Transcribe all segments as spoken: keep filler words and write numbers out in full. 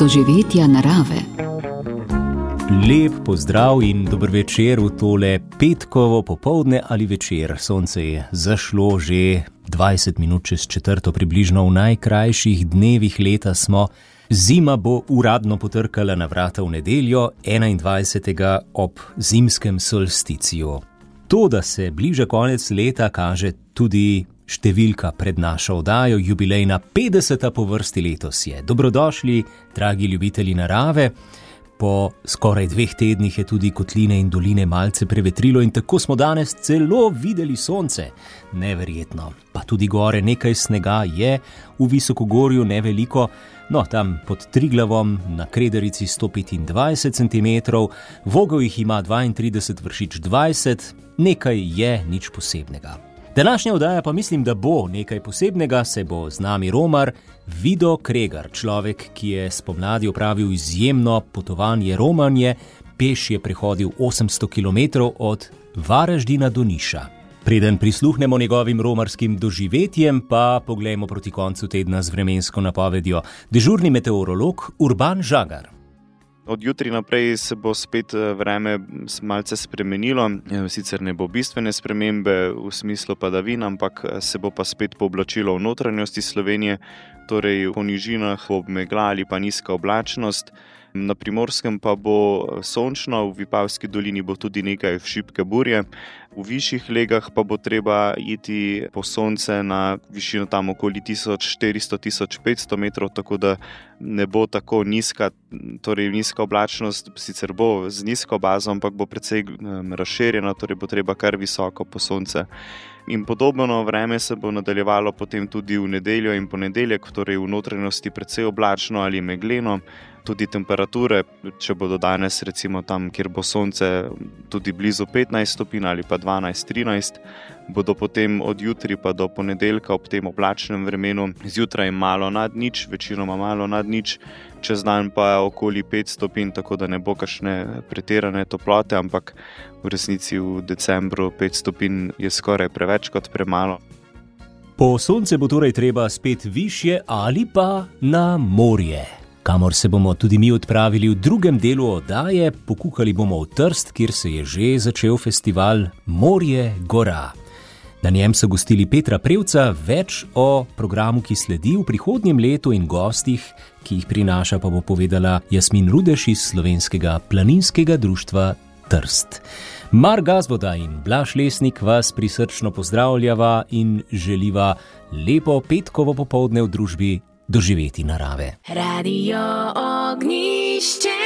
doživetja narave. Lep pozdrav in dober večer v tole petkovo popoldne ali večer. Sonce je zašlo že dvajset minut čez četrto, približno v najkrajših dnevih leta smo. Zima bo uradno potrkala na vrata v nedeljo, enaindvajsetega ob zimskem solsticiju. To, da se bliža konec leta, kaže tudi številka pred našo oddajo, jubilejna petdeseta po vrsti letos je. Dobrodošli, dragi ljubitelji narave. Po skoraj dveh tednih je tudi kotline in doline malce prevetrilo in tako smo danes celo videli sonce. Neverjetno. Pa tudi gore nekaj snega je, v Visokogorju ne veliko, no tam pod Triglavom na Kredarici sto petindvajset centimetrov, Vogel jih ima dvaintrideset, Vršič dvajset, nekaj je, nič posebnega. Današnja oddaja pa mislim, da bo nekaj posebnega, se bo z nami romar Vido Kregar, človek, ki je spomladi opravil izjemno potovanje romanje, peš je prehodil osemsto kilometrov od Varaždina do Niša. Preden prisluhnemo njegovim romarskim doživetjem, pa poglejmo proti koncu tedna z vremensko napovedjo. Dežurni meteorolog Urban Žagar. Od jutri naprej se bo spet vreme malce spremenilo, sicer ne bo bistvene spremembe v smislu padavin, ampak se bo pa spet pooblačilo v notranjosti Slovenije, torej po nižinah ob megla ali pa nizka oblačnost. Na Primorskem pa bo sončno, v Vipavski dolini bo tudi nekaj šibke burje. V višjih legah pa bo treba iti po sonce na višino tam okoli tisoč štiristo do tisoč petsto metrov, tako da ne bo tako nizka, torej nizka oblačnost, sicer bo z nizko bazo, ampak bo precej razširjena, torej bo treba kar visoko po sonce. In podobno vreme se bo nadaljevalo potem tudi v nedeljo in ponedeljek, torej v notranjosti precej oblačno ali megleno. Tudi temperature, če bodo danes recimo tam, kjer bo sonce tudi blizu petnajst stopinj ali pa dvanajst trinajst, bodo potem od jutri pa do ponedeljka ob tem oblačnem vremenu zjutraj malo nad nič, večinoma malo nad nič, čez dan pa okoli pet stopinj, tako da ne bo kakšne pretirane toplote, ampak v resnici v decembru pet stopinj je skoraj preveč kot premalo. Po sonce bo torej treba spet višje ali pa na morje, kamor se bomo tudi mi odpravili v drugem delu oddaje. Pokukali bomo v Trst, kjer se je že začel festival Morje Gora. Na njem so gostili Petra Prevca, več o programu, ki sledi v prihodnjem letu in gostih, ki jih prinaša, pa bo povedala Jasmin Rudeš iz Slovenskega planinskega društva Trst. Mar Gazvoda in Blaž Lesnik vas prisrčno pozdravljava in želiva lepo petkovo popoldne v družbi doživeti narave. Radio Ognjišče.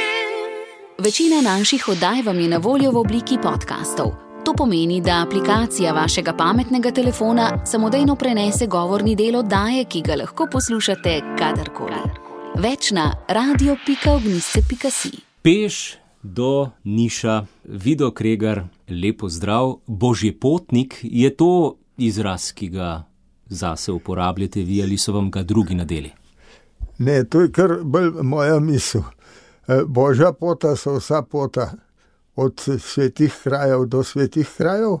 Večina naših oddaj vam je na voljo v obliki podcastov. To pomeni, da aplikacija vašega pametnega telefona samodejno prenese govorni del oddaje, ki ga lahko poslušate kadarkoli. Več na radio pika ognjišče pika si. Peš do Niša. Vido Kregar, lepo zdrav. Božji potnik, je to izraz, ki ga zase uporabljate vi ali so vam ga drugi nadeli? Ne, to je kar bolj moja misel. Božja pota so vsa pota, od svetih krajev do svetih krajev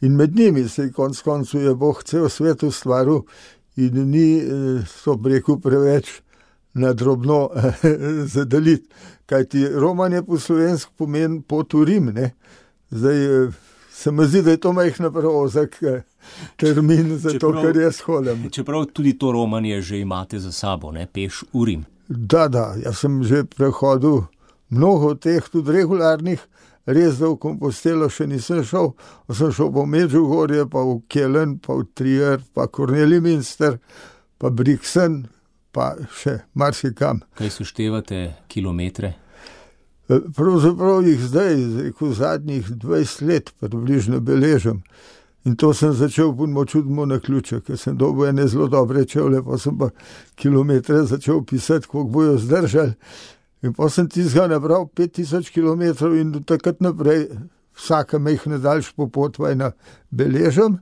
in med njimi se konc koncu je Bog cel svet ustvaril in ni so breku preveč na drobno zadeliti. Kajti romanje po slovensko pomeni pot v Rim, ne? Zdaj se mi zdi, da je to majhno preozak termin za čeprav, to, kar jaz hodim. Čeprav tudi to romanje že imate za sabo, ne? Peš v Rim. Da, da, jaz sem že prehodil mnogo teh tudi regularnih, res da v Kompostelo še nisem šel, sem šel po Medžugorje, pa v Kelen, pa v Trier, pa Kornelij Münster, pa Brixen, pa še marsikam. Kaj seštevate kilometre? Pravzaprav jih zdaj, rekel, zadnjih dvajset let približno beležem. In to sem začel po čudnemu naključju, ker sem dobil ene zelo dobre čevlje, pa sem pa kilometre začel pisati, koliko bojo zdržali. In pa sem tistega nabral pet tisoč kilometrov in do takrat naprej vsaka majhna daljša popotovanja beležem.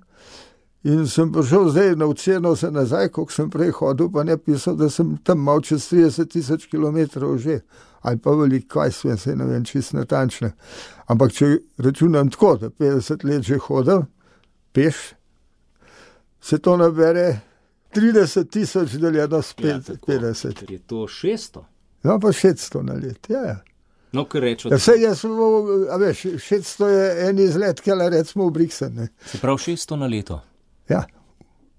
In sem prišel zdaj na oceno se nazaj, koliko sem prej hodil, pa ne pisal, da sem tam mal čez trideset tisoč kilometrov že. Ali pa veliko, kaj svem, se ne vem čist natančno. Ampak če računam tako, da petdeset let že hodil, peš, se to nabere trideset tisoč deljeno s petdeset. Ja, je to šeststo? No, pa šeststo na let, ja, ja. No, kar rečo. Ja, sej jaz, a veš, šeststo je en izlet, kjer recimo v Briksen, ne. Se pravi šeststo na leto? Ja,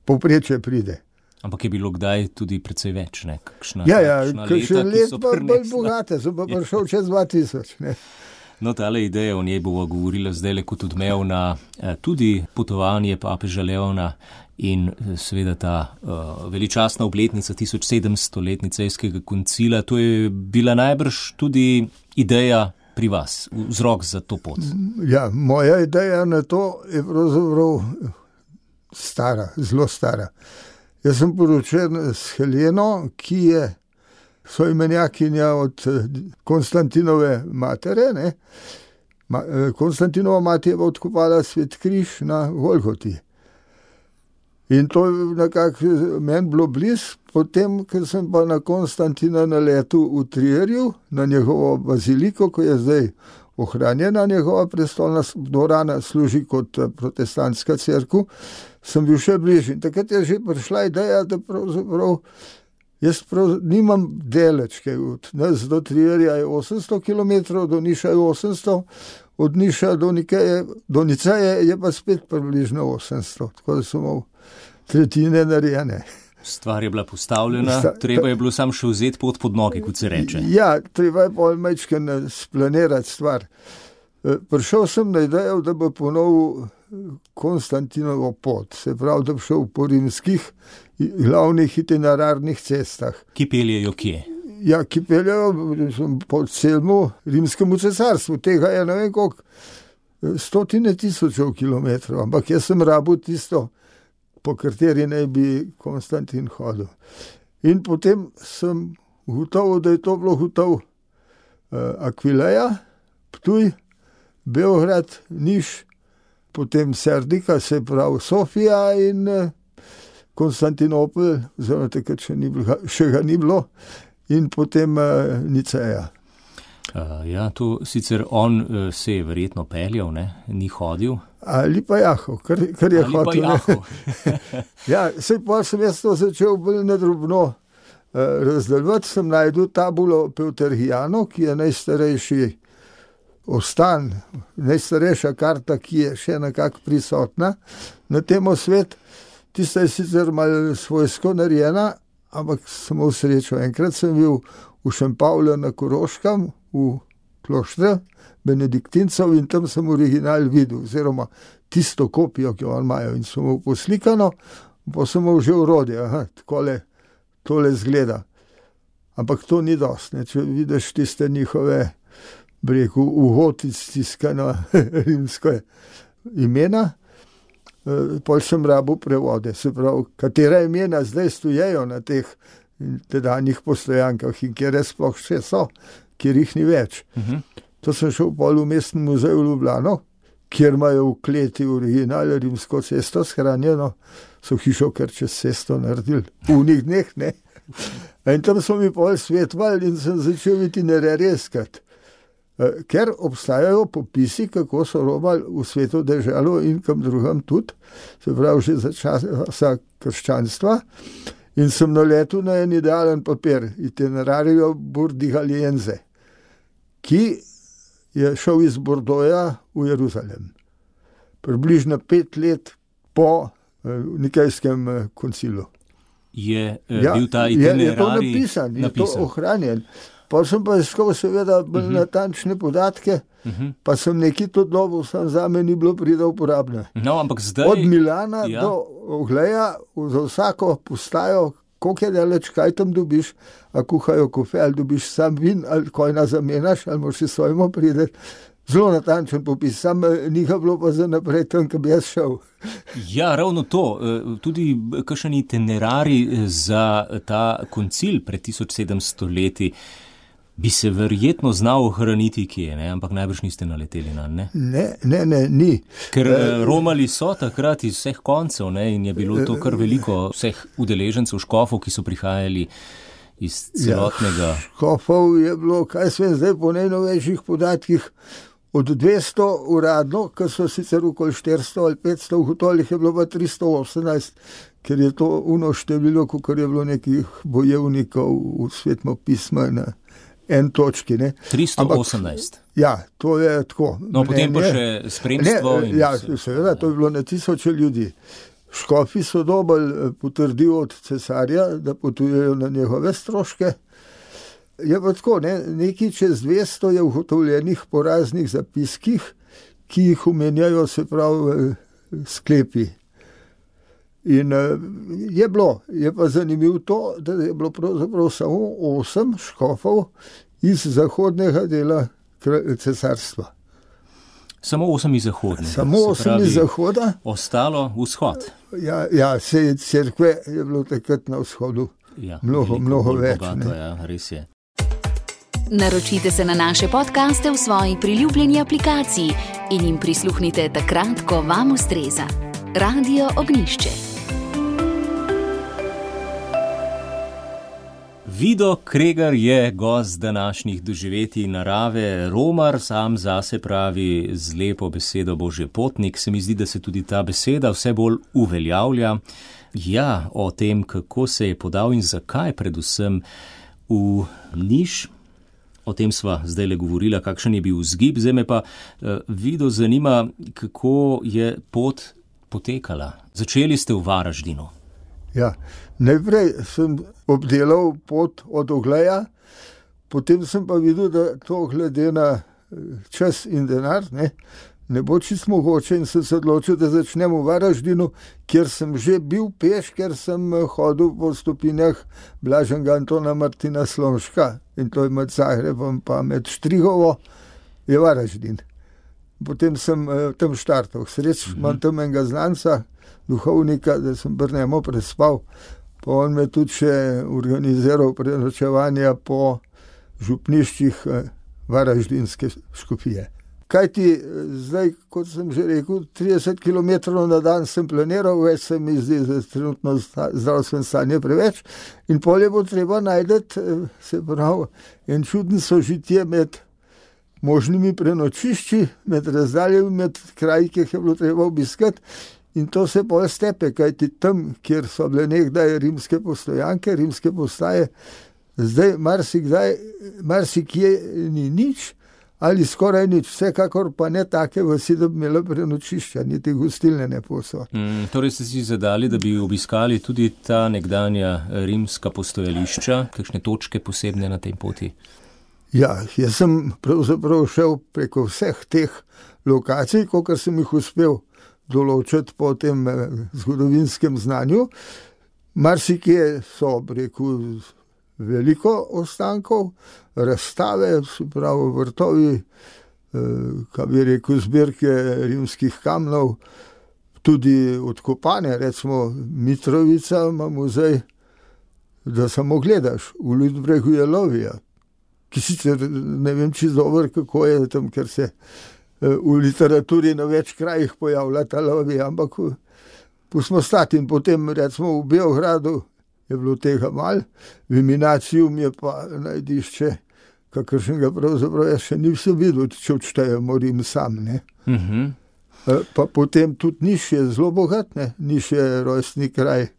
povprečje pride. Ampak je bilo kdaj tudi precej več, ne? Kakšna, ja, ja, kakšna kakšen leta, let ki so pa bolj prinesla. bogate, so pa prišel čez dva tisoč, ne. No, tale ideja, o njej bova govorila zdajle kot odmevna, tudi potovanje papeža Leona in seveda ta uh, veličastna obletnica tisoč sedemstoletja Nicejskega koncila. To je bila najbrž tudi ideja pri vas, vzrok za to pot. Ja, moja ideja na to je pravzaprav stara, zelo stara. Jaz sem poročen s Heleno, ki je soimenjakinja od Konstantinove matere, ne. Ma, Konstantinova mati je odkopala Svet križ na Golgoti. In to je nekako meni bilo blizu, potem, ker sem pa na Konstantina naletel v Trierju, na njegovo baziliko, ko je zdaj ohranjena njegova prestolna dvorana, služi kot protestantska cerkev, sem bil še bližje. In takrat je že prišla ideja, da pravzaprav jaz prav nimam deleč, kaj od nas do Trierja je osemsto kilometrov, do Niša je osemsto, od Niša do Nikeje, do Niceje je pa spet približno osemsto, tako da sem imel tretjine narejene. Stvar je bila postavljena, Sta, treba je bilo sam še vzeti pot pod noge, kot se reče. Ja, treba je pol majčken splanirati stvar. Prišel sem na idejo, da bo ponovil Konstantinovo pot, se pravi, da bi šel po rimskih glavnih itinerarnih cestah. Ki peljejo kje? Ja, ki peljejo po celemu rimskemu cesarstvu, tega je ne vem koliko, stotine tisočev kilometrov, ampak jaz sem rabil tisto, po kateri naj bi Konstantin hodil. In potem sem gotovil, da je to bilo gotov uh, Akvileja, Ptuj, Beograd, Niš, potem Serdika, se pravi Sofija in uh, Konstantinopel, oziroma takrat še, ni bilo, še ga ni bilo, in potem uh, Niceja. Uh, ja, to sicer on uh, se je verjetno peljal, ne? Ni hodil. Ali pa jahal, kar, kar je Ali hotel. pa jahal. Ja, sej pa sem jaz to začel bolj nadrobno uh, razdeljevati, sem najdel tabulo Peuterhijano, ki je najstarejši ostan, najstarejša karta, ki je še nekako prisotna na temo svet. Tista je sicer malo svojsko narejena, ampak sem imel srečo. Enkrat sem bil v Šempavlju na Koroškem, v kloštru benediktincev in tam sem original videl, oziroma tisto kopijo, ki jo imajo, in sem imel poslikano, pa sem imel že urodje, aha, takole, tole zgleda. Ampak to ni dost, ne, če vidiš tiste njihove, bi rekel, uhotic tiskano rimsko imena, pol sem rabil prevode, se pravi, katera imena zdaj stojejo na teh tedanjih postojankah in kjer sploh še so, kjer jih ni več. Uh-huh. To sem šel pol v mestnem muzeju v Ljubljano, kjer imajo v kleti original rimsko cesto shranjeno, so hišo kar čez cesto naredili, v njih dneh, ne. In tam so mi pol svetovali in sem začel itinerarje iskati. Ker obstajajo popisi, kako so romali v svetu deželo in kam drugam tudi, se pravi že za časa krščanstva, in sem naletel na en idealen papir, Itinerario Burdigaliense, ki je šel iz Bordoja v Jeruzalem. Približno pet let po Nikejskem koncilu. Je ja, bil ta itinerarij je, je to napisan, napisan, je to ohranjen. Pa sem pa iskal seveda bolj uh-huh. natančne podatke, uh-huh. pa sem nekaj to dobil, sam zame ni bilo prida uporabne. No, ampak zdaj... Od Milana ja. do Ogleja, za vsako postajo, koliko je daleč, kaj tam dobiš, a kuhajo kofe, ali dobiš sam vin, ali kojna zamenjaš, ali moraš si svojmo prideti. Zelo natančen popis, sam ni ga bilo pa za naprej tam, ko bi jaz šel. Ja, ravno to. Tudi kakšen itinerarij za ta koncil pred tisoč sedemsto leti bi se verjetno znal ohraniti kje, ne? Ampak najbrž niste naleteli na, ne? Ne, ne, ne, ni. Ker uh, romali so takrat iz vseh koncev, ne? In je bilo to kar veliko vseh udeležencev, škofov, ki so prihajali iz celotnega... Ja, škofov je bilo, kaj svem zdaj po najnovejših podatkih, od dvesto uradno, ker so sicer okoli štiristo ali petsto, ugotovih je bilo pa tristo osemnajst, ker je to uno število, kakor je bilo nekih bojevnikov v svetmo pisma na en točki. Ne. tristo osemnajst. Ampak, ja, to je tako. No, potem pa še spremstvo. Ne, ja, seveda, to je bilo na tisoče ljudi. Škofi so dobili potrdil od cesarja, da potujejo na njegove stroške. Je pa tako, ne, nekaj čez dvesto je ugotovljenih po raznih zapiskih, ki jih omenjajo, se pravi, sklepi. In je bilo, je pa zanimivo to, da je bilo pravzaprav samo osem škofov iz zahodnega dela cesarstva. Samo osem iz zahodnega. Samo osem iz zahoda. Ostalo vzhod. Ja, ja, se cerkve je bilo takrat na vzhodu. Ja, mnogo, mnogo več. Bogato, ja, res je. Naročite se na naše podcaste v svoji priljubljeni aplikaciji in jim prisluhnite takrat, ko vam ustreza. Radio Ognjišče. Vido Kregar je gost današnjih doživetij narave, romar, sam zase pravi z lepo besedo Božji potnik. Se mi zdi, da se tudi ta beseda vse bolj uveljavlja. Ja, o tem, kako se je podal in zakaj predvsem v Niš. O tem sva zdaj le govorila, kakšen je bil vzgib. Zdaj me pa uh, Vido zanima, kako je pot potekala. Začeli ste v Varaždinu. Ja, najprej sem obdelal pot od Ogleja, potem sem pa videl, da to glede na čas in denar ne, ne bo čisto mogoče in sem se odločil, da začnem v Varaždinu, kjer sem že bil peš, ker sem hodil po stopinjah Blaženega Antona Martina Slomška in to je med Zagrebom pa med Štrigovo je Varaždin. Potem sem uh, tam štartal. Sreč, mm-hmm. imam tam enega znanca, duhovnika, da sem pri njemu prespal. Pa on me tudi še organiziral prenočevanja po župniščih uh, Varaždinske škofije. Kaj ti zdaj, kot sem že rekel, trideset kilometrov na dan sem planiral, več se mi zdi za trenutno zdravstveno stanje preveč in polje bo treba najdeti, se pravi, en čuden sožitje med možnimi prenočišči, med razdaljami, med kraji, ki jih je bilo treba obiskati in to se pol stepe, kajti tam, kjer so bile nekdaj rimske postojanke, rimske postaje, zdaj marsikdaj, marsikje ni nič, ali skoraj nič, vsekakor pa ne take vasi, da bi imela prenočišča, niti gostilne ne posod. Mm, torej ste si zadali, da bi obiskali tudi ta nekdanja rimska postojališča, kakšne točke posebne na tej poti? Ja, jaz sem pravzaprav šel preko vseh teh lokacij, kolikor sem jih uspel določiti po tem zgodovinskem znanju. Marsikje so, rekel, veliko ostankov, razstave, se pravi vrtovi, kaj bi rekel, zbirke rimskih kamnov, tudi odkopane, recimo Mitrovica ima muzej, da samo gledaš, v Ludbregu je Lovija, ki sicer ne vem čisto dobro, kako je tam, ker se v literaturi na več krajih pojavlja ta Lovija, ampak pustimo stati in potem recimo v Beogradu je bilo tega mal, v Minacijum je pa najdišče, kakršnega pravzaprav jaz še nisem videl, če odštejemo Rim sam. Ne? Mm-hmm. Pa potem tudi Niš je zelo bogat, ne? Niš je rojstni kraj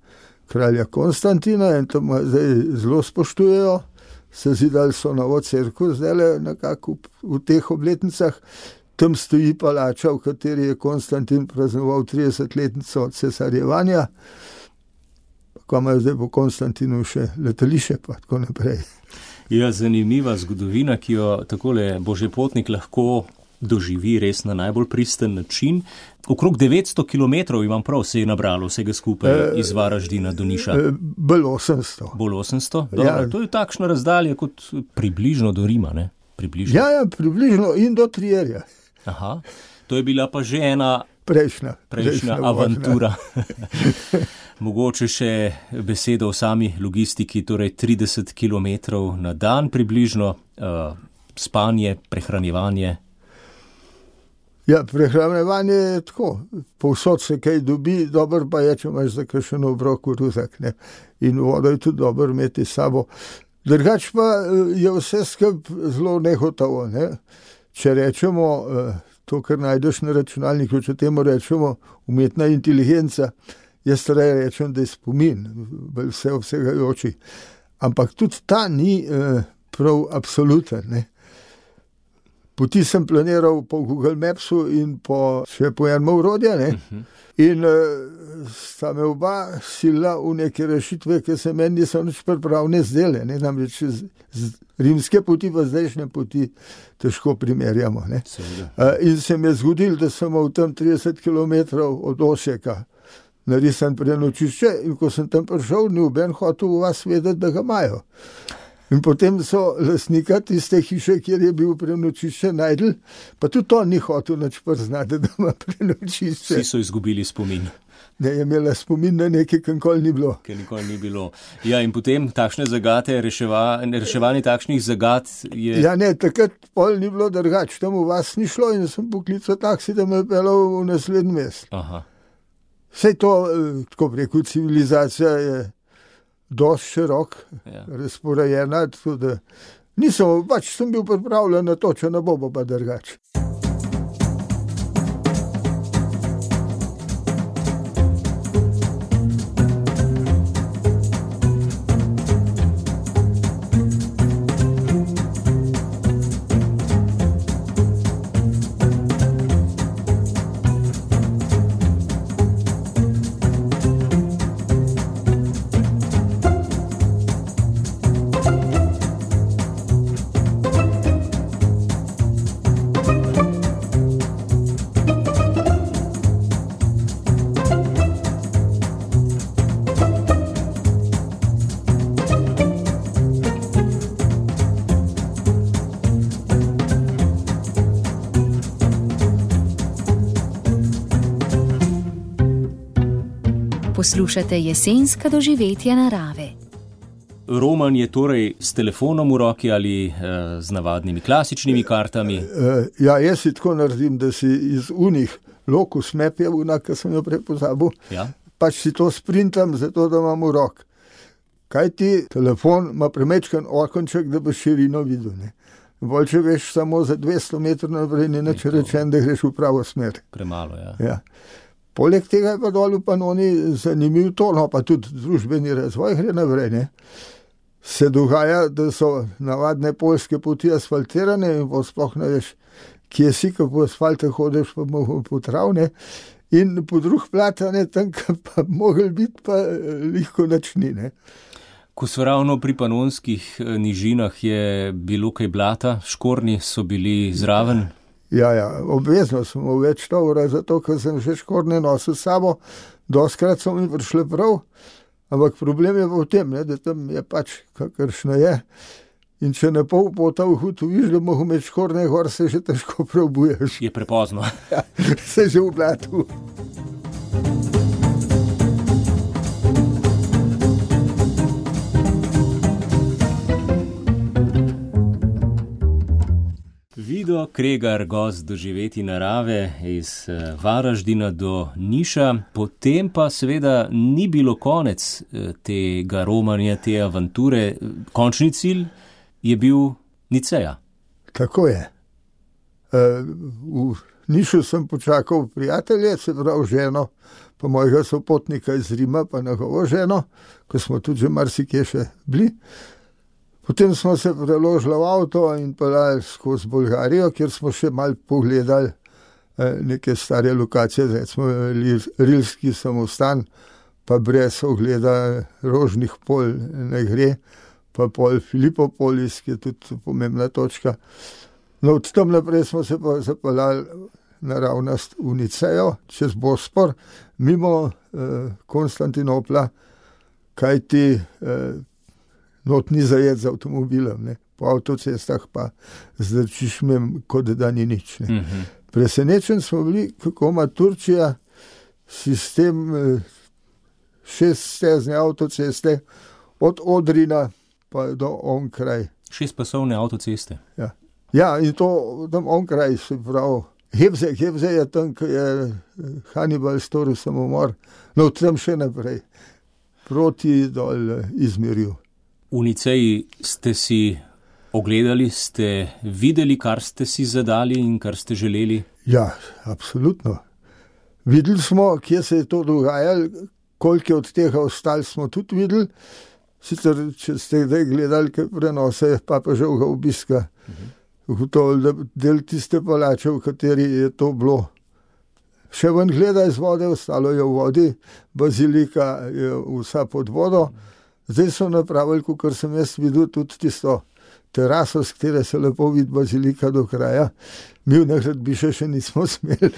kralja Konstantina in tam zdaj zelo spoštujejo, se zidali so novo cerkev, zdaj nekako v, v teh obletnicah, tam stoji palača, v kateri je Konstantin praznoval tridesetletnico od cesarjevanja, ko imajo zdaj po Konstantinu še letališče, pa tako naprej. Ja, zanimiva zgodovina, ki jo takole Božji potnik lahko doživi res na najbolj pristen način. Okrog devetsto kilometrov imam prav, se je nabralo vsega skupaj e, iz Varaždina do Niša. E, bolj osemsto. Bolj osemsto? Dobro, ja. To je takšna razdalja kot približno do Rima, ne? Približno. Ja, ja, približno in do Trierja. Aha, to je bila pa že ena prejšnja, prejšnja, prejšnja avantura. Mogoče še besedo o sami logistiki, torej trideset kilometrov na dan približno, uh, spanje, prehranjevanje. Ja, prehranjevanje je tako, povsod se kaj dobi, dobro pa je, če imaš za kakšen obrok v ruzak, ne. In vodo je tudi dobro imeti s sabo. Drugač pa je vse skup zelo nehotovo, ne. Če rečemo, to, kar najdeš na računalniku, če temu rečemo umetna inteligenca, jaz raje rečem, da je spomin, vse obsegajoči. Ampak tudi ta ni eh, prav absoluten. Ne. Poti sem planiral po Google Mapsu in po, še po enem orodju, ne. Uh-huh. In uh, sta me oba sila v neke rešitve, ki se meni niso nič pripravne zdele. Ne. Namreč z, z rimske poti pa zdajšnje poti težko primerjamo. Ne. Uh, in se mi je zgodilo, da sem v tam trideset kilometrov od Osijeka narisan prenočišče in ko sem tam prišel, ni oben hotel v vas vedeti, da ga imajo. In potem so lastnika tiste hiše, kjer je bil prenočišče, najdel, pa tudi on ni hotel nič priznati, da ima prenočišče. Vsi so izgubili spomin. Ne, je imela spomin na nekaj, kar nikoli ni bilo. Ker nikoli ni bilo. Ja, in potem takšne zagate, reševa, reševanje takšnih zagat je... Ja, ne, takrat pol ni bilo drugače, tam v vas ni šlo in sem poklical taksi, da me je pelal v naslednji mest. Aha. Sej to, tako preko civilizacija je dosti širok, ja. Razporejena, tako da nisem, pač sem bil pripravljen na to, če ne bo pa drugače. Poslušate jesenska doživetja narave. Roman je torej s telefonom v roki ali e, z navadnimi klasičnimi kartami? E, ja, jaz si tako naredim, da si iz unih lokus map je una, ki sem jo prepozabil, ja. Pač si to sprintam, zato da imam v rok. Kaj ti telefon ima premečkan okonček, da bo širino videl, ne? Bolj, če veš samo za dvesto metrov naprej, ni nič rečen, da greš v pravo smer. Premalo, ja. Ja. Poleg tega je pa dol v Panoni zanimiv to, no pa tudi družbeni razvoj gre naprej, ne. Se dogaja, da so navadne poljske poti asfaltirane in sploh ne veš, kje si, ko po asfalte hodiš, pa mogo po travne in po druh platane, tam pa mogel biti, pa lihko načni, ne. Ko so ravno pri panonskih nižinah je bilo kaj blata, škornji so bili zraven? Ja, ja, obvezno sem v več tovora, zato, ker sem že škornje nosil s sabo, doskrat so mi prišle prav, ampak problem je v tem, ne, da tam je pač kakršno je in če ne pol pota v hutu viš, da mogo imeti škornje gor, se že težko preobuješ. Je prepozno. Ja, se že v blatu. Vido Kregar, gost doživeti narave iz Varaždina do Niša, potem pa seveda ni bilo konec tega romanja, te avanture. Končni cilj je bil Niceja. Tako je. V Nišu sem počakal prijatelje, se pravi ženo, pa mojega sopotnika iz Rima, pa njegovo ženo, ko smo tudi že marsikje še bili. Potem smo se preložili v avto in peljali skozi Bolgarijo, kjer smo še malo pogledali neke stare lokacije, recimo Rilski samostan, pa brez ogleda Rožnih polj ne gre, pa pol Filipopolis, ki je tudi pomembna točka. No, od tam naprej smo se pa zapeljali naravnost v Nicejo, čez Bospor, mimo eh, Konstantinopla, kajti eh, not ni zajet z avtomobilom, ne. Po avtocestah pa zdrčiš mem, kot da ni nič. Ne. Mm-hmm. Presenečen smo bili, kako ima Turčija sistem šeststezne avtoceste od Odrina pa do onkraj. Šestpasovne avtoceste. Ja. Ja, in to tam onkraj se pravi. Hebze, Hebze je tam, ko je Hannibal storil samomor, no tam še naprej, proti dol Izmirju. V Niceji ste si ogledali, ste videli, kar ste si zadali in kar ste želeli? Ja, absolutno. Videli smo, kje se je to dogajalo, koliko od tega ostali smo tudi videli Sicer, če ste zdaj gledali kaj prenose papeževega obiska, ugotovili, da del tiste palače, v kateri je to bilo, še ven gleda iz vode, ostalo je v vodi, bazilika je vsa pod vodo. Zdaj so napravili, kakor sem jaz videl, tudi tisto teraso, s katere se lepo vidi bazilika do kraja. Mi v Nagradbišče še nismo smeli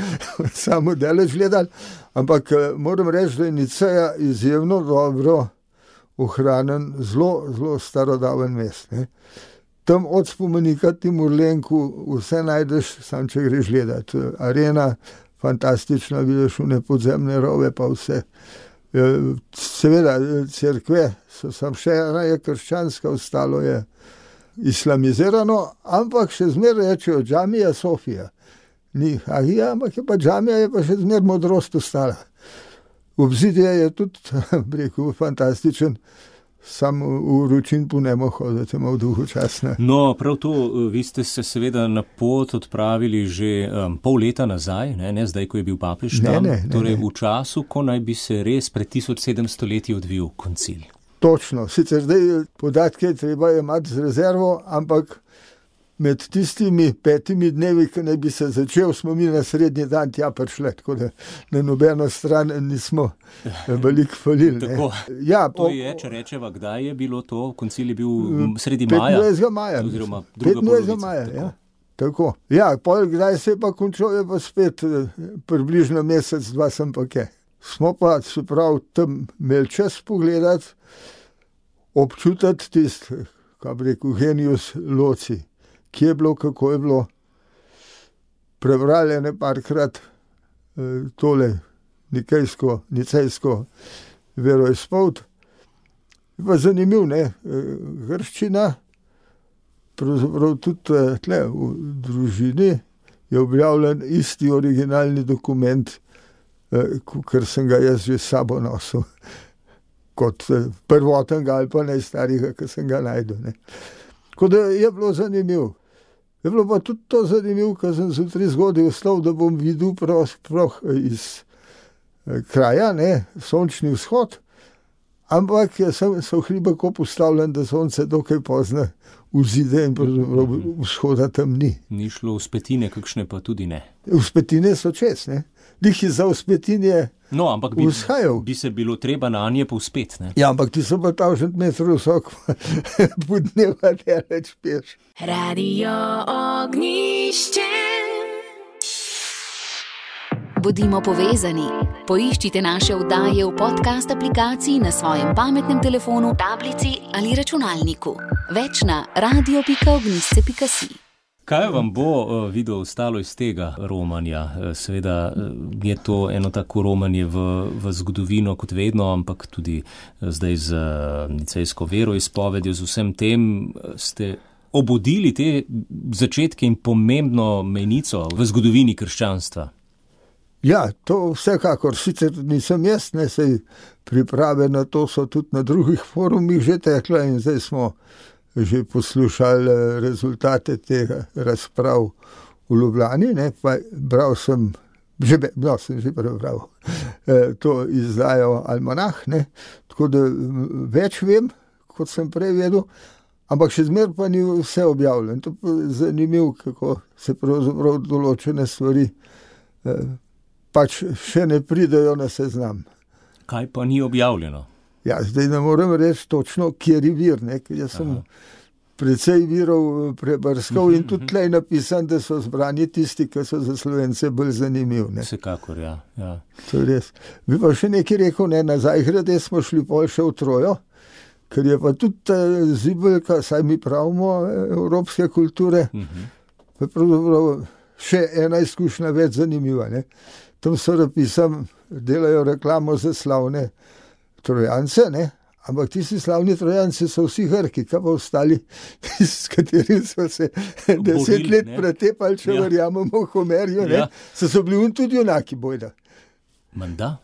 samo daleč gledali, ampak moram reči, da je Niceja izjemno dobro ohranjen, zelo, zelo starodaven mest. Ne. Tam od spomenika Timurlenku vse najdeš, sam če greš gledat. Arena, fantastična, vidiš une podzemne rove, pa vse. Seveda, cerkve so sam še ena je krščanska, ostalo je islamizirano, ampak še zmer rečejo džamija Sofija. Ni Hagija, ampak je pa džamija, je pa še zmer modrost ostala. Obzidje je tudi, rekel, fantastičen, sam v vročin po nemo hodite, ima v duhu časne. No, prav to, vi ste se seveda na pot odpravili že um, pol leta nazaj, ne, ne zdaj, ko je bil papež tam, ne, ne, torej ne. v času, ko naj bi se res pred tisoč sedemsto leti odvil koncil. Točno, sicer zdaj podatke treba imati z rezervo, ampak med tistimi petimi dnevi, ki naj bi se začel, smo mi na srednji dan tja prišli, tako da na nobeno stran nismo veliko falili. Tako, ja, to je, če rečeva, kdaj je bilo to, koncil je bil sredi maja? petindvajsetega maja. Oziroma druga petindvajsetega polovica. maja, Tako. ja. Tako. Ja, pol, kdaj se je pa končal, je pa spet približno mesec, dva sem pa kaj. Smo pa, se pravi, tam imeli čas pogledati, občutiti tisti, kaj bi rekel, genius loci. Kje je bilo, kako je bilo. Prebrali ne parkrat eh, tole nikejsko, nicejsko veroizpoved. Je pa zanimiv, ne, grščina, pravzaprav tudi tle v družini je objavljen isti originalni dokument, eh, ker sem ga jaz že s sabo nosil, kot eh, prvotnega ali pa najstarega, ki sem ga najdel. Ne. Tako da je bilo zanimivo. Je bilo pa tudi to zanimivo, ker sem zjutraj zgodaj vstal, da bom videl prav, prav iz eh, kraja, ne, sončni vzhod, ampak sem, so hribako postavljen, da sonce dokaj pozna vzide in pravzaprav vzhoda tam ni. Ni šlo v spetine, kakšne pa tudi ne. V spetine so čez, ne. Dih je za v spetinje No, ampak bi, vzhajal. bi se bilo treba na nje povzpet, ne? Ja, ampak ti so pa tavžent metrov visok, po dneva deleč peš. Radio Ognjišče. Bodimo povezani. Poiščite naše oddaje v podcast aplikaciji na svojem pametnem telefonu, tablici ali računalniku. Več na radio pika ognjišče pika si. Kaj vam bo uh, video ostalo iz tega romanja? Uh, seveda uh, je to eno tako romanje v, v zgodovino kot vedno, ampak tudi uh, zdaj z uh, nicejsko veroizpovedjo, z vsem tem uh, ste obudili te začetke in pomembno mejnico v zgodovini krščanstva. Ja, to vsekakor, sicer nisem jaz, ne, sej priprave na to so tudi na drugih forumih že tekle in zdaj smo že poslušali rezultate tega razprav v Ljubljani, ne, pa bral sem, že, no, sem že prebral to izdajo Almanah, ne, tako da več vem, kot sem prej vedel, ampak še zmer pa ni vse objavljeno. To je zanimivo, kako se pravzaprav določene stvari pač še ne pridejo na seznam. Kaj pa ni objavljeno? Ja, zdaj ne morem reči točno, kjer je vir, ne, ker jaz sem Aha. precej virov prebrskal in tudi tlej napisan, da so zbrani tisti, ki so za Slovence bolj zanimiv. Ne. Vsekakor, ja. ja. To je res. Bi pa še nekaj rekel, ne, nazaj grede smo šli pol še v Trojo, ker je pa tudi zibelka, saj mi pravimo, evropske kulture, uh-huh. pa pravzaprav še ena izkušnja več zanimiva. Ne. Tam so napisam, delajo reklamo za slavne Trojance, ne? Ampak tisti slavni Trojanci so vsi Grki, kaj pa ostali, s katerimi so se deset let pretepali, če ja. verjamemo Homerju, ja. so, so bili un tudi junaki bojda. Menda?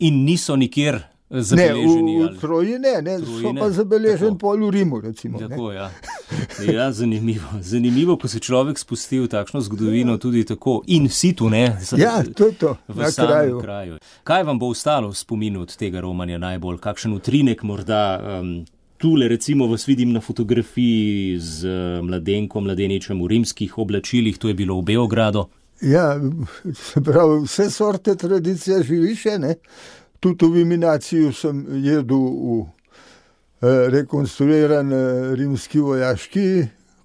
In niso nikjer zabeleženi. Ne, v, v Troji ne, ne so pa zabeleženi pol v Rimu, recimo. Tako, ja. Ja, zanimivo. Zanimivo, ko se človek spusti v takšno zgodovino, tudi tako in situ, ne? Ja, to je to, na kraju. kraju. Kaj vam bo ostalo v spominu od tega romanja najbolj? Kakšen utrinek morda? Um, tule recimo vas vidim na fotografiji z mladenkom, mladeničem v rimskih oblačilih, to je bilo v Beogradu. Ja, se pravi, vse sorte tradicije živi še, ne? Tudi v iminaciju sem jedel v eh, rekonstruiran eh, rimski vojaški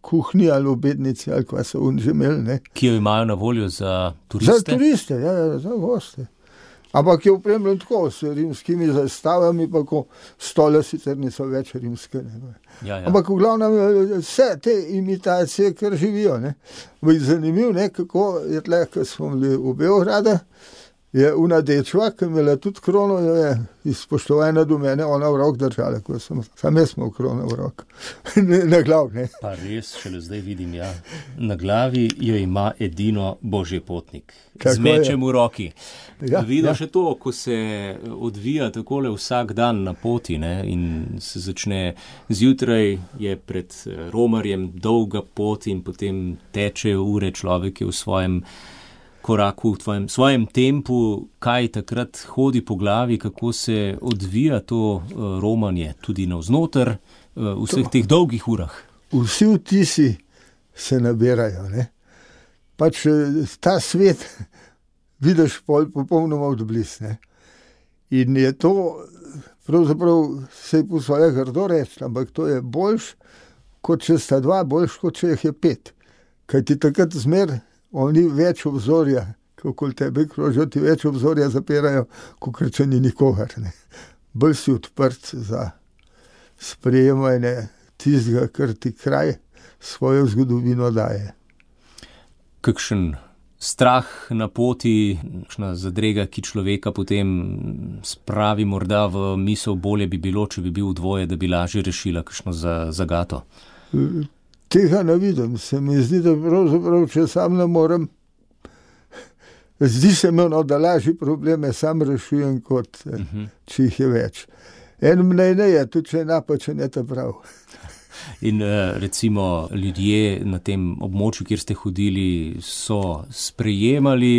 kuhinji ali obednici, ali kva so on že imeli, ne? Ki jo imajo na voljo za turiste? Za turiste, ja, za goste. Ampak je opremljen tako, s rimskimi zastavami, pa ko stole sicer niso več rimske. Ne? Ja, ja. Ampak v glavnem vse te imitacije, kar živijo. Ne? Zanimivo, ne, kako je tle, ko smo bili v Beogradu, je una dečva, ki imela tudi krono, je izpoštovana do mene, ona v rok držala, ko sem, sam jaz smo v krono v rok, na glav, ne. Pa res, šele zdaj vidim, ja, na glavi jo ima edino Božji potnik, z mečem v roki. Ja, Vidim ja. še to, ko se odvija takole vsak dan na poti, ne, in se začne zjutraj, je pred romarjem dolga pot in potem tečejo ure, človek je v svojem koraku, v tvojem, svojem tempu, kaj takrat hodi po glavi, kako se odvija to uh, romanje, tudi navznoter uh, v vseh to, teh dolgih urah. Vsi vtisi se nabirajo, ne. Pač ta svet vidiš pol popolnoma odbliz, ne. In je to, pravzaprav se je po svoje grdo reči, ampak to je boljš, kot če sta dva, boljš, kot če jih je pet. Kaj ti takrat zmer oni več obzorja, kako tebe krožijo, ti več obzorja zapirajo, kot če ni nikogar. Ne. Bolj si odprt za sprejemanje tistega, kar ti kraj svojo zgodovino daje. Kakšen strah na poti, kakšna zadrega, ki človeka potem spravi morda v misel, bolje bi bilo, če bi bil dvoje, da bi lažje rešila kakšno zagato? Tega ne vidim, se mi zdi, da pravzaprav, če sam ne morem, zdi se mi, no, da lažji probleme sam rešujem, kot uh-huh. če jih je več. En mnenje je, tudi če je napačen, je ta prav. In recimo ljudje na tem območju, kjer ste hodili, so sprejemali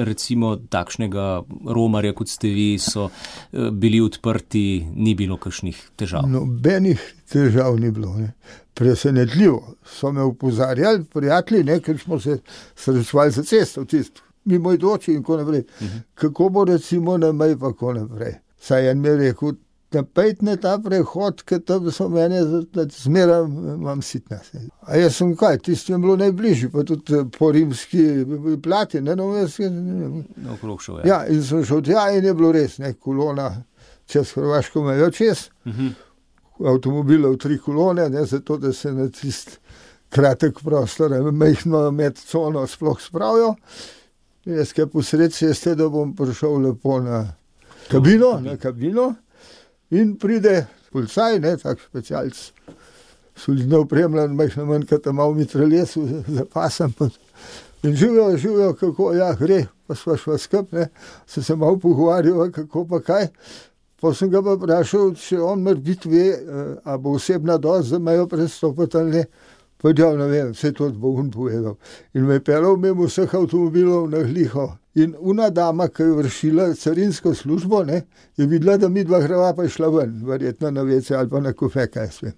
recimo takšnega romarja, kot ste vi, so bili odprti, ni bilo kakšnih težav? Nobenih težav ni bilo, ne. Presenetljivo. So me opozarjali, prijatelji, ne, ker smo se srečevali za cesto, tisto, mimo idoči in ko naprej. Uh-huh. Kako bo recimo na mej pa ko naprej? Saj en mi je rekel, napejt na ta prehod, ker tam so mene zmeraj imam sitna. A jaz sem kaj, tisto je bilo najbližji, pa tudi po rimski plati, ne, no, jaz je, no, okrog šel, ja. Ja, in sem šel tja in je bilo res, ne, kolona čez Hrvaško mejo čez, uh-huh. avtomobilov tri kolone, ne, zato da se na tist kratek prostor, mehno med cono sploh spravijo. Jaz kaj posred ceste, da bom prišel lepo na kabino, na kabino, in pride policaj, ne, tak specialc, solidno opremljen, mehno manj, kot malo mitraljes za pasem. In živijo, živijo, kako, ja, gre, pa sva šva skup, ne, se se malo pogovarjava, kako pa kaj. Pa sem ga pa vprašal, če on mora biti ve, a bo osebna dost za mejo prestopati ali ne. Pa ja, ne vem, vse to bo on povedal. In me je pelal mimo vseh avtomobilov na gliho. In una dama, ki je vršila carinsko službo, ne, je videla, da mi dva greva pa je šla ven, verjetno na vece ali pa na kofe, kaj svem.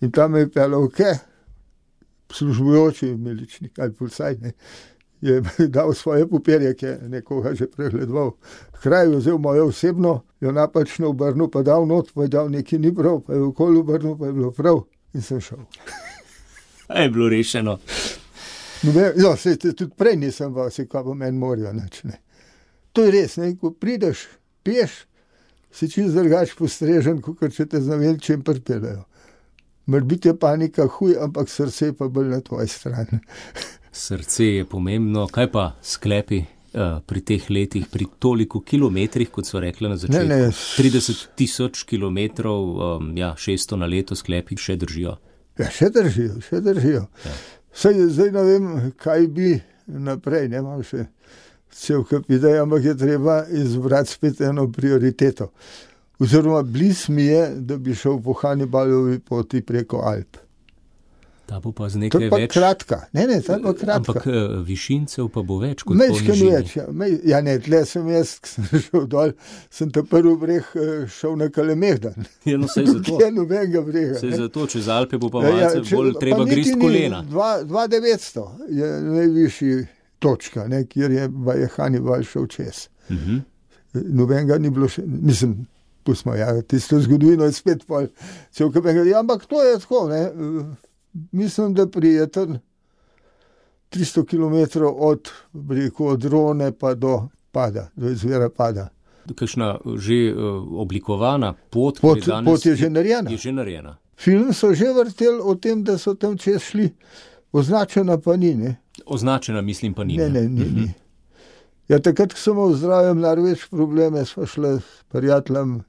In tam me je pelal, ke, službujoči miličnik ali policaj, ne, je dal svoje papirje, ki je nekoga že pregledoval. Kraj je vzel mojo osebno, jo napačno obrnil, pa dal not, pa je dal nekaj ni prav, pa je okoli obrnil, pa je bilo prav in sem šel. Je bilo rešeno. No, no, se, tudi prej nisem val, se kaj po meni morajo nič, ne. To je res, ne, ko prideš, piješ, si čist drugač postrežen, kot če te z navelčem pripeljajo. Mora biti je panika huj, ampak srce je pa bolj na tvoji strani. Srce je pomembno. Kaj pa sklepi uh, pri teh letih, pri toliko kilometrih, kot so rekli na začetku? Ne, ne. trideset tisoč kilometrov, um, ja, šeststo na leto sklepi še držijo. Ja, še držijo, še držijo. Ja. Saj, zdaj ne vem, kaj bi naprej, ne imam še cel kup idej, ampak je treba izbrati spet eno prioriteto. Oziroma bliz mi je, da bi šel po Hannibalovi poti preko Alp. Ta bo pa z To nekaj je pa več. kratka. Ne, ne, ta je pa kratka. Ampak eh, višincev pa bo več kot po Mečken nižini. več, ja. Mej, ja ne, tle sem jaz, ko sem šel dol, sem ta prvi breg eh, šel na Kalemegdan. Ja, no, saj zato. Tukaj je nobenega brega. Saj ne. zato, čez Alpe bo pa Ja, ja, malce če- bolj pa treba niti grist ni, kolena. dva tisoč devetsto je najvišji točka, ne, kjer je, je Hannibal šel čez. Mhm. Nobenega ni bilo še, mislim, pustimo, ja, tisto zgodovino je spet pol, cel kabenga, ja, ampak to je tako, ne, mislim, da prijeten tristo kilometrov od, bi rekel, od Rone pa do pada, do izvira pada. Kakšna že uh, oblikovana pot, Pot, ki je danes, pot je že narejena. je že narejena. Film so že vrteli o tem, da so tam čez šli, označena pa ni, ne. Označena, mislim, pa ni. Ne, ne, ni, ni. Ja, takrat, ko sem imel zdravjem največ probleme, sva šla s prijateljem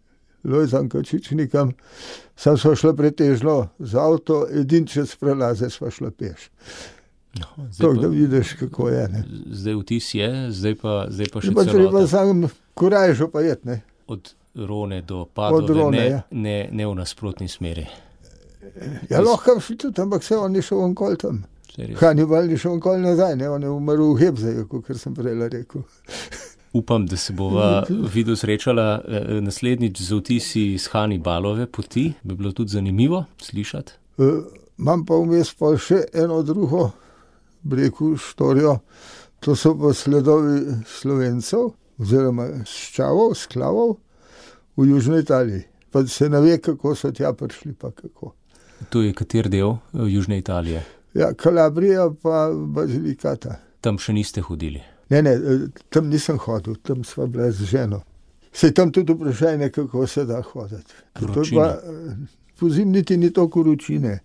Lojzom Kačičnikom, sam sva šla pretežno z avto, edin čez prelaze sva šla peš. No, zdaj, To, da pa, vidiš, kako je, ne. zdaj vtis je, zdaj pa, zdaj pa še Je pa treba celota. sam korajžo pa jet, ne. Od Rone do Padove, Od Rone, ne, ja. ne, ne v nasprotni smeri. Ja, lahko šli tudi, ampak se on ni šel onkol tam. Saj res. Hannibal ni šel onkol nazaj, ne, on je umrl v Hebzeju, kot sem prej rekel. Upam, da se bova videl srečala eh, naslednjič z vtisi iz Hannibalove poti. Bi bilo tudi zanimivo slišati. E, imam pa vmes pa še eno drugo, bi rekel, štorijo. To so pa sledovi Slovencev, oziroma ščavov, sklavov v Južni Italiji. Pa se ne ve, kako so tja prišli, pa kako. To je kater del eh, Južne Italije? Ja, Kalabrija pa Bazilikata. Tam še niste hodili. Ne, ne, e, tam nisem hodil, tam sva bila z ženo. Se je tam tudi vprašanje, kako se da hoditi. To je Vročina. pa, e, po zim niti ni toliko vročine,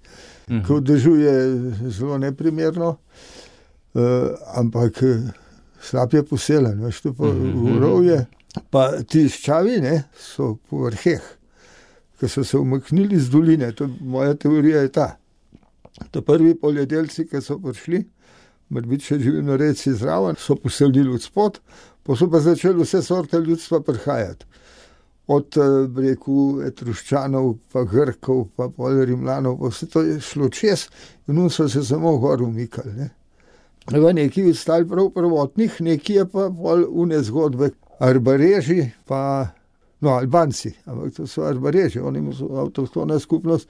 Mhm. ko dežuje zelo neprimerno, uh, ampak eh, slab je poseljen, veš, to pa Mhm. urovje. Pa ti ščavi, ne, so po vrheh, ki so se umaknili z doline, to moja teorija je ta. To prvi poljedelci, ki so prišli, morbiti še živinorejci zraven, so poselili od spod, pa so pa začeli vse sorte ljudstva prihajati. Od, eh, bi rekel, Etruščanov, pa Grkov, pa pol Rimljanov, pa vse to je šlo čez in on so se samo gor umikali, ne. V nekaj ostali prav prvotnih, nekaj je pa pol une zgodbe. Arbareži pa, no, Albanci, ampak to so Arbareži, oni so avtohtona skupnost,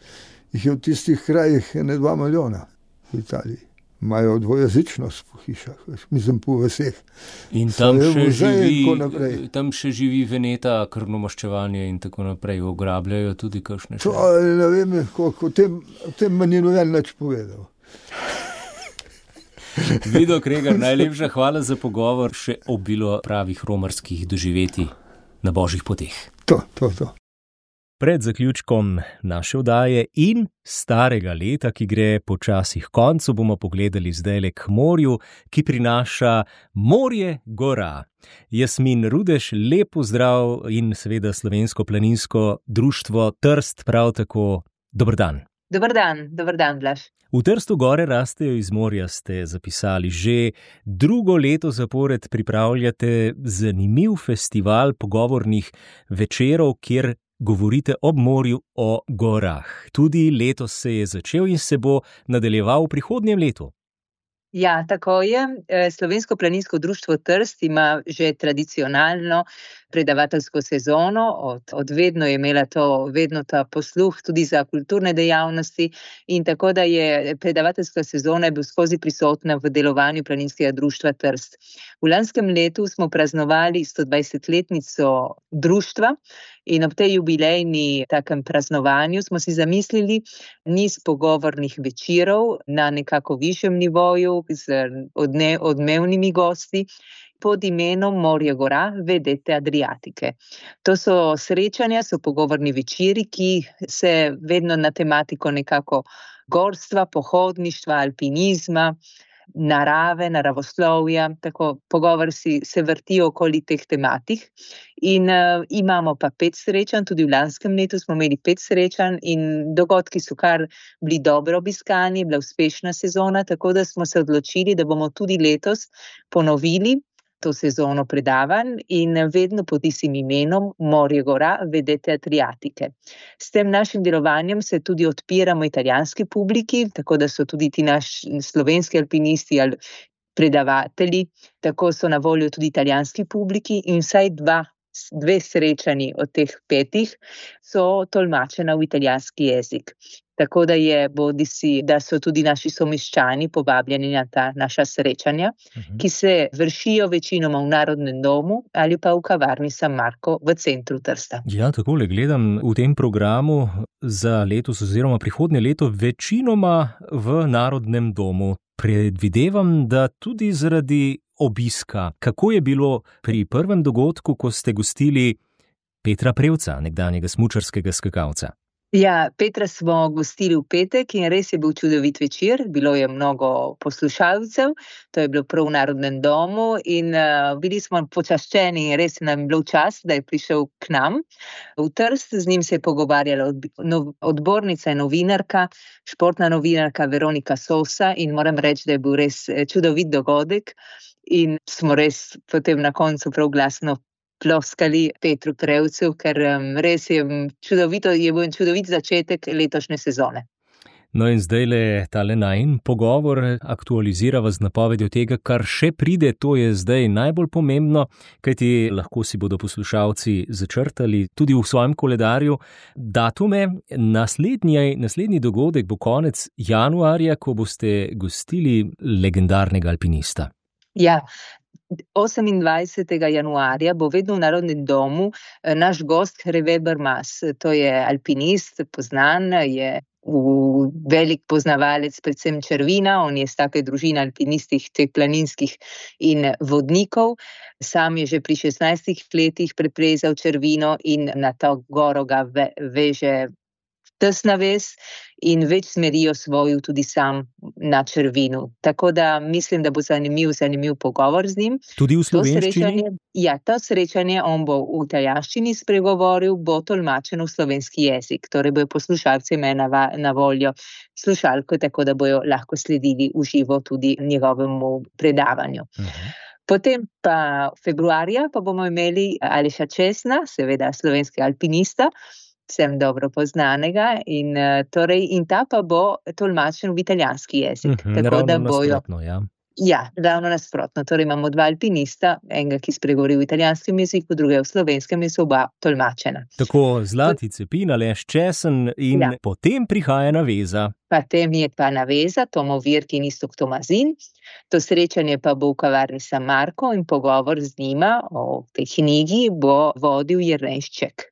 jih je v tistih krajih ene dva milijona v Italiji. Imajo dvojezičnost po hišah, veš, mislim po vseh. In tam Svoje še, muzeje in živi, tako naprej. tam še živi Veneta, krvnomaščevanje in tako naprej. Ograbljajo tudi kakšne To še. ne vem, koliko o tem, o tem me ni noben nič povedal. Vido Kregar, najlepša hvala za pogovor, še obilo pravih romarskih doživetij na božjih poteh. To, to, to. Pred zaključkom naše oddaje in starega leta, ki gre počasi k koncu, bomo pogledali zdajle k morju, ki prinaša Morje gora. Jasmin Rudež, lep pozdrav in seveda Slovensko planinsko društvo Trst prav tako. Dober dan. Dober dan, dober dan, Blaž. V Trstu gore rastejo iz morja, ste zapisali. Že drugo leto zapored pripravljate zanimiv festival pogovornih večerov, kjer govorite ob morju o gorah. Tudi letos se je začel in se bo nadaljeval v prihodnjem letu. Ja, tako je. Slovensko planinsko društvo Trst ima že tradicionalno predavateljsko sezono, od, od vedno je imela to vedno ta posluh tudi za kulturne dejavnosti in tako da je predavateljska sezona je bil skozi prisotna v delovanju planinskega društva Trst. V lanskem letu smo praznovali stodvajsetletnico društva in ob tej jubilejni takem praznovanju smo si zamislili niz pogovornih večerov na nekako višjem nivoju z odne, odmevnimi gosti pod imenom Morje gora, vedete Adriatike. To so srečanja, so pogovorni večeri, ki se vedno na tematiko nekako gorstva, pohodništva, alpinizma, narave, naravoslovja, tako pogovor si se vrti okoli teh tematik. In uh, imamo pa pet srečanj, tudi v lanskem letu smo imeli pet srečanj in dogodki so kar bili dobro obiskani, bila uspešna sezona, tako da smo se odločili, da bomo tudi letos ponovili to sezono predavanj in vedno pod istim imenom Morje gora, vedete Adriatike. S tem našim delovanjem se tudi odpiramo italijanski publiki, tako da so tudi ti naši slovenski alpinisti ali predavatelji, tako so na voljo tudi italijanski publiki in vsaj dva, dve srečanji od teh petih so tolmačena v italijanski jezik. Tako da je bodisi, da so tudi naši somiščani povabljeni na ta naša srečanja, uh-huh. ki se vršijo večinoma v Narodnem domu ali pa v kavarni San Marco v centru Trsta. Ja, takole gledam v tem programu za letos oziroma prihodnje leto večinoma v Narodnem domu. Predvidevam, da tudi zaradi obiska. Kako je bilo pri prvem dogodku, ko ste gostili Petra Prevca, nekdanjega smučarskega skakalca? Ja, Petra smo gostili v petek in res je bil čudovit večer, bilo je mnogo poslušalcev, to je bilo prav v Narodnem domu in uh, bili smo počaščeni in res nam je bil čas, da je prišel k nam v Trst, z njim se je pogovarjala odbornica in novinarka, športna novinarka Veronika Sosa in moram reči, da je bil res čudovit dogodek in smo res potem na koncu prav glasno ploskali Petru Prevcu, ker um, res je čudovito, je bil čudovit začetek letošnje sezone. No in zdajle tale najin pogovor aktualizirava z napovedjo tega, kar še pride, to je zdaj najbolj pomembno, kajti lahko si bodo poslušalci začrtali tudi v svojem koledarju datume. Naslednji, naslednji dogodek bo konec januarja, ko boste gostili legendarnega alpinista. Ja, osemindvajsetega januarja bo vedno v Narodnem domu naš gost Hervé Bermas, to je alpinist, poznan, je velik poznavalec predvsem črvina, on je iz take družine alpinistih, teh planinskih in vodnikov. Sam je že pri šestnajstih letih preplezal črvino in na to goro ga ve, veže tesna vez in več smeri osvojil tudi sam na črvinu. Tako da mislim, da bo zanimiv, zanimiv pogovor z njim. Tudi v slovenščini? Ja, to srečanje on bo v italijanščini spregovoril, bo tolmačen v slovenski jezik. Torej bojo poslušalci imeli na, na voljo slušalko, tako da bojo lahko sledili v živo tudi njegovemu predavanju. Uh-huh. Potem pa februarja pa bomo imeli Aleša Česna, seveda slovenskega alpinista, vsem dobro poznanega in, torej, in ta pa bo tolmačen v italijanski jezik. Uh-huh, tako da bojo. Ja. Ja, ravno nasprotno. Torej imamo dva alpinista, enega, ki spregovori v italijanskem jeziku, drugega v slovenskem, in so oba tolmačena. Tako Zlati Cepin, Aleš Česen in ja. Potem prihaja naveza. Potem je pa naveza Tomo Virk in Iztok Tomazin. To srečanje pa bo v kavarni San Marco in pogovor z njima o tej knjigi bo vodil Jernejšček.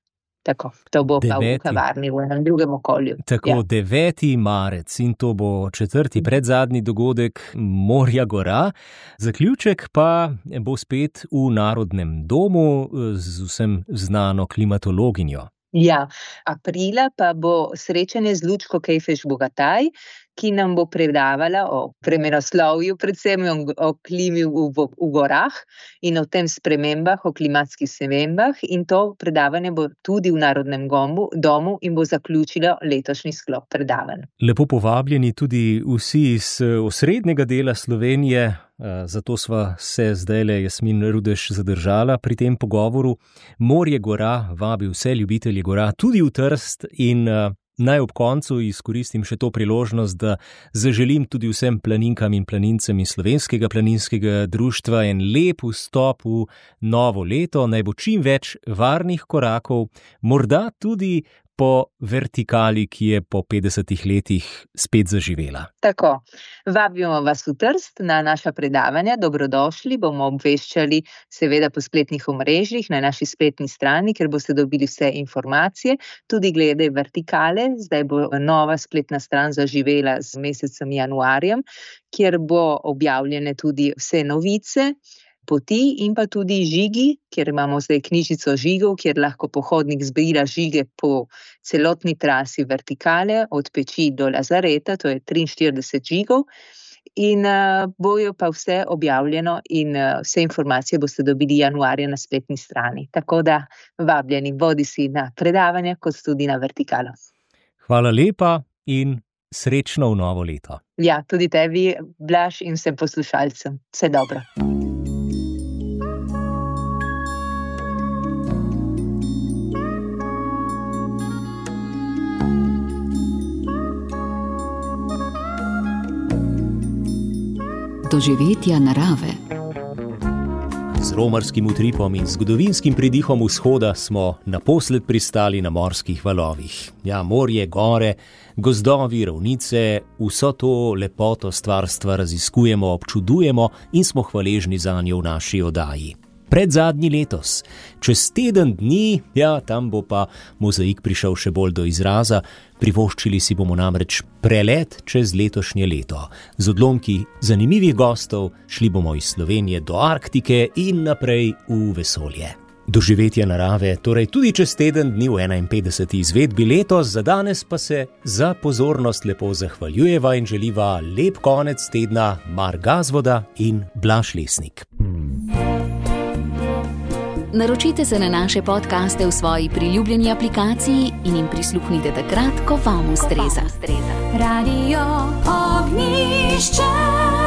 Tako, to bo deveti. Pa v kavarni, v enem drugem okolju. Tako, ja. deveti marec in to bo četrti predzadnji dogodek Morja gora. Zaključek pa bo spet v Narodnem domu z vsem znano klimatologinjo. Ja, aprila pa bo srečanje z Lučko Kejfež-Bogataj, ki nam bo predavala o vremenoslovju, predvsem o klimi v, v, v gorah in o tem spremembah, o klimatskih spremembah, in to predavanje bo tudi v Narodnem domu in bo zaključilo letošnji sklop predavanj. Lepo povabljeni tudi vsi iz osrednjega dela Slovenije, zato sva se zdajle Jasmin Rudež zadržala pri tem pogovoru. Morje gora vabi vse ljubitelje gora, tudi v Trst, in naj ob koncu izkoristim še to priložnost, da zaželim tudi vsem planinkam in planincem iz Slovenskega planinskega društva en lep vstop v novo leto, naj bo čim več varnih korakov, morda tudi po vertikali, ki je po petdesetih letih spet zaživela. Tako, vabimo vas v Trst na naša predavanja, dobrodošli, bomo obveščali seveda po spletnih omrežjih na naši spletni strani, ker boste dobili vse informacije, tudi glede vertikale. Zdaj bo nova spletna stran zaživela z mesecem januarjem, kjer bo objavljene tudi vse novice, poti in pa tudi žigi, kjer imamo zdaj knjižico žigov, kjer lahko pohodnik zbira žige po celotni trasi vertikale, od Peči do Lazareta, to je triinštirideset žigov, in uh, bojo pa vse objavljeno in uh, vse informacije boste dobili januarja na spletni strani. Tako da vabljeni bodi si na predavanja, kot tudi na vertikalo. Hvala lepa in srečno v novo leto. Ja, tudi tebi, Blaž, in vsem poslušalcem. Vse dobro. doživetja narave. Z romarskim utripom in zgodovinskim pridihom vzhoda smo naposled pristali na morskih valovih. Ja, morje, gore, gozdovi, ravnice, vso to lepoto stvarstva raziskujemo, občudujemo in smo hvaležni zanjo v naši oddaji. Predzadnji letos, čez teden dni, ja, tam bo pa mozaik prišel še bolj do izraza, privoščili si bomo namreč prelet čez letošnje leto. Z odlomki zanimivih gostov šli bomo iz Slovenije do Arktike in naprej v vesolje. Doživetja narave, torej tudi čez teden dni v enainpetdeseti izvedbi letos, za danes pa se za pozornost lepo zahvaljujeva in želiva lep konec tedna Mar Gazvoda in Blaž Lesnik. Naročite se na naše podcaste v svoji priljubljeni aplikaciji in jim prisluhnite takrat, ko vam ustreza. Radio Ognjišče.